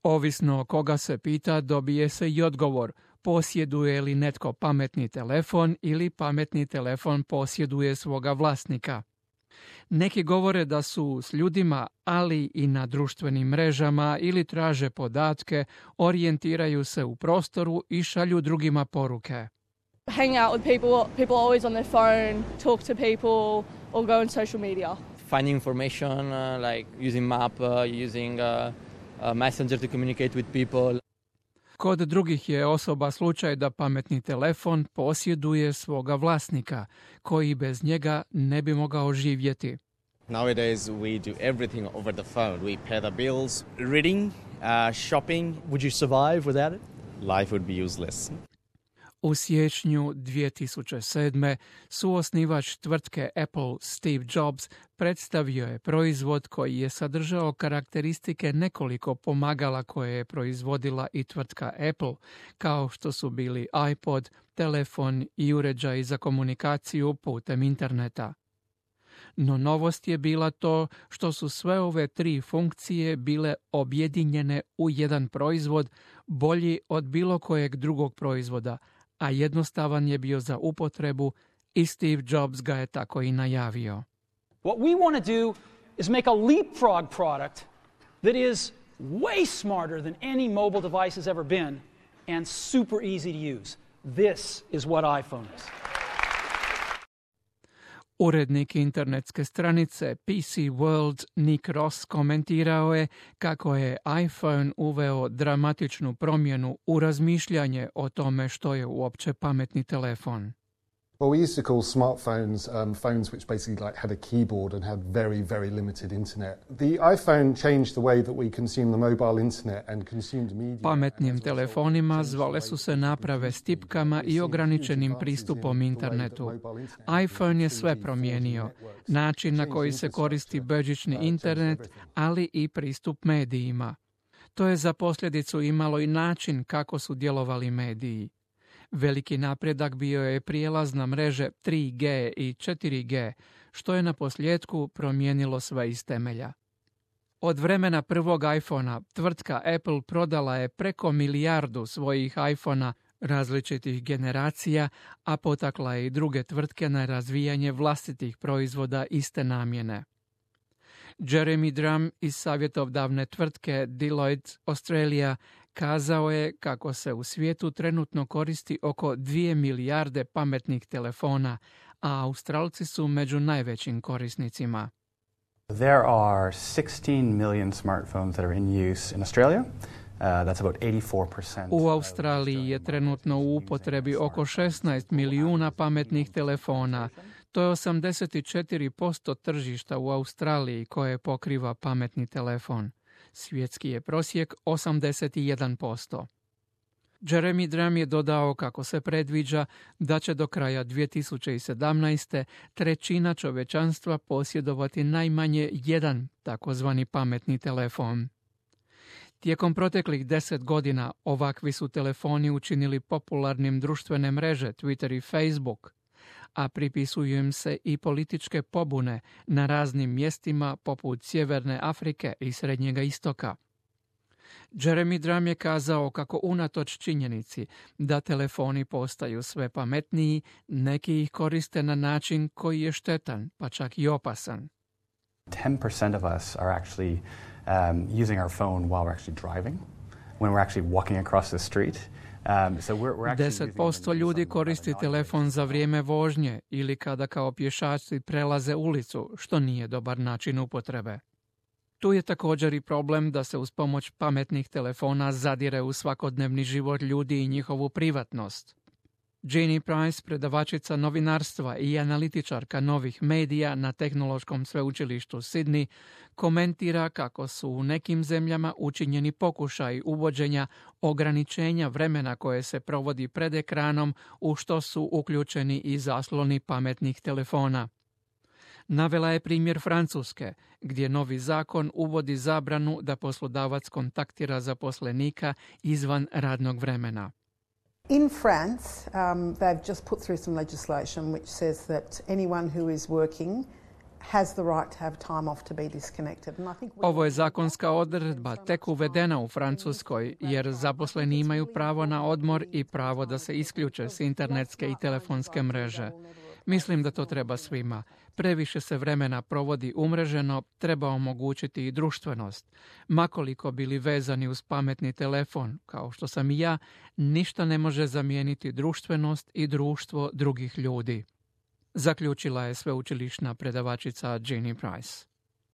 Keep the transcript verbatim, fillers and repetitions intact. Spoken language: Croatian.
Ovisno koga se pita, dobije se i odgovor. Posjeduje li netko pametni telefon ili pametni telefon posjeduje svoga vlasnika. Neki govore da su s ljudima, ali i na društvenim mrežama ili traže podatke, orijentiraju se u prostoru i šalju drugima poruke. Hang out with people, people are always on their phone, talk to people or go on social media. Finding information uh, like using map, uh, using uh, uh, messenger to communicate with people. Kod drugih je osoba slučaj da pametni telefon posjeduje svoga vlasnika, koji bez njega ne bi mogao živjeti. Nowadays we do everything over the phone. We pay the bills, reading, uh, shopping. Would you survive without it? Life would be useless. U siječnju dvije tisuće sedme suosnivač tvrtke Apple Steve Jobs predstavio je proizvod koji je sadržao karakteristike nekoliko pomagala koje je proizvodila i tvrtka Apple, kao što su bili iPod, telefon i uređaj za komunikaciju putem interneta. No novost je bila to što su sve ove tri funkcije bile objedinjene u jedan proizvod bolji od bilo kojeg drugog proizvoda, a jednostavan je bio za upotrebu i Steve Jobs ga je tako i najavio. What we want to do is make a leapfrog product that is way smarter than any mobile device has ever been and super easy to use. This is what iPhone is. Urednik internetske stranice P C World Nick Ross komentirao je kako je iPhone uveo dramatičnu promjenu u razmišljanje o tome što je uopće pametni telefon. Well, we used to call smartphones um, phones which basically like had a keyboard and had very, very limited internet. The iPhone changed the way that we consume the mobile internet and consumed media. Pametnim telefonima zvale su se naprave s tipkama i ograničenim pristupom internetu. iPhone je sve promijenio. Način na koji se koristi bežični internet, ali i pristup medijima. To je za posljedicu imalo i način kako su djelovali mediji. Veliki napredak bio je prijelaz na mreže tri G i četiri G, što je na posljedku promijenilo sve iz temelja. Od vremena prvog iPhona tvrtka Apple prodala je preko milijardu svojih iPhona različitih generacija, a potakla je i druge tvrtke na razvijanje vlastitih proizvoda iste namjene. Jeremy Drum iz savjetodavne tvrtke Deloitte Australia kazao je kako se u svijetu trenutno koristi oko dvije milijarde pametnih telefona, a Australci su među najvećim korisnicima. There are sixteen million smartphones that are in use in Australia. Uh, that's about eighty-four percent. U Australiji je trenutno u upotrebi oko šesnaest milijuna pametnih telefona. To je osamdeset četiri posto tržišta u Australiji koje pokriva pametni telefon. Svjetski je prosjek osamdeset jedan posto. Jeremy Drum je dodao kako se predviđa da će do kraja dvije tisuće sedamnaeste. trećina čovječanstva posjedovati najmanje jedan takozvani pametni telefon. Tijekom proteklih deset godina ovakvi su telefoni učinili popularnim društvene mreže Twitter i Facebook, a pripisuju im se i političke pobune na raznim mjestima poput Sjeverne Afrike i Srednjega istoka. Jeremy Drum je kazao kako unatoč činjenici da telefoni postaju sve pametniji, neki ih koriste na način koji je štetan, pa čak i opasan. ten percent of us are actually um, using our phone while we're actually driving, when we're actually walking across the street. deset posto ljudi koristi telefon za vrijeme vožnje ili kada kao pješaci prelaze ulicu, što nije dobar način upotrebe. Tu je također i problem da se uz pomoć pametnih telefona zadire u svakodnevni život ljudi i njihovu privatnost. Jeannie Price, predavačica novinarstva i analitičarka novih medija na Tehnološkom sveučilištu Sydney, komentira kako su u nekim zemljama učinjeni pokušaj uvođenja ograničenja vremena koje se provodi pred ekranom, u što su uključeni i zasloni pametnih telefona. Navela je primjer Francuske, gdje novi zakon uvodi zabranu da poslodavac kontaktira zaposlenika izvan radnog vremena. In France, um, they've just put through some legislation which says that anyone who is working has the right to have time off to be disconnected. And I think Ovo je zakonska odredba tek uvedena u Francuskoj, jer zaposleni imaju pravo na odmor i pravo da se isključe s internetske i telefonske mreže. Mislim da to treba svima. Previše se vremena provodi umreženo, treba omogućiti i društvenost. Makoliko bili vezani uz pametni telefon, kao što sam i ja, ništa ne može zamijeniti društvenost i društvo drugih ljudi. Zaključila je sveučilišna predavačica Jeannie Price.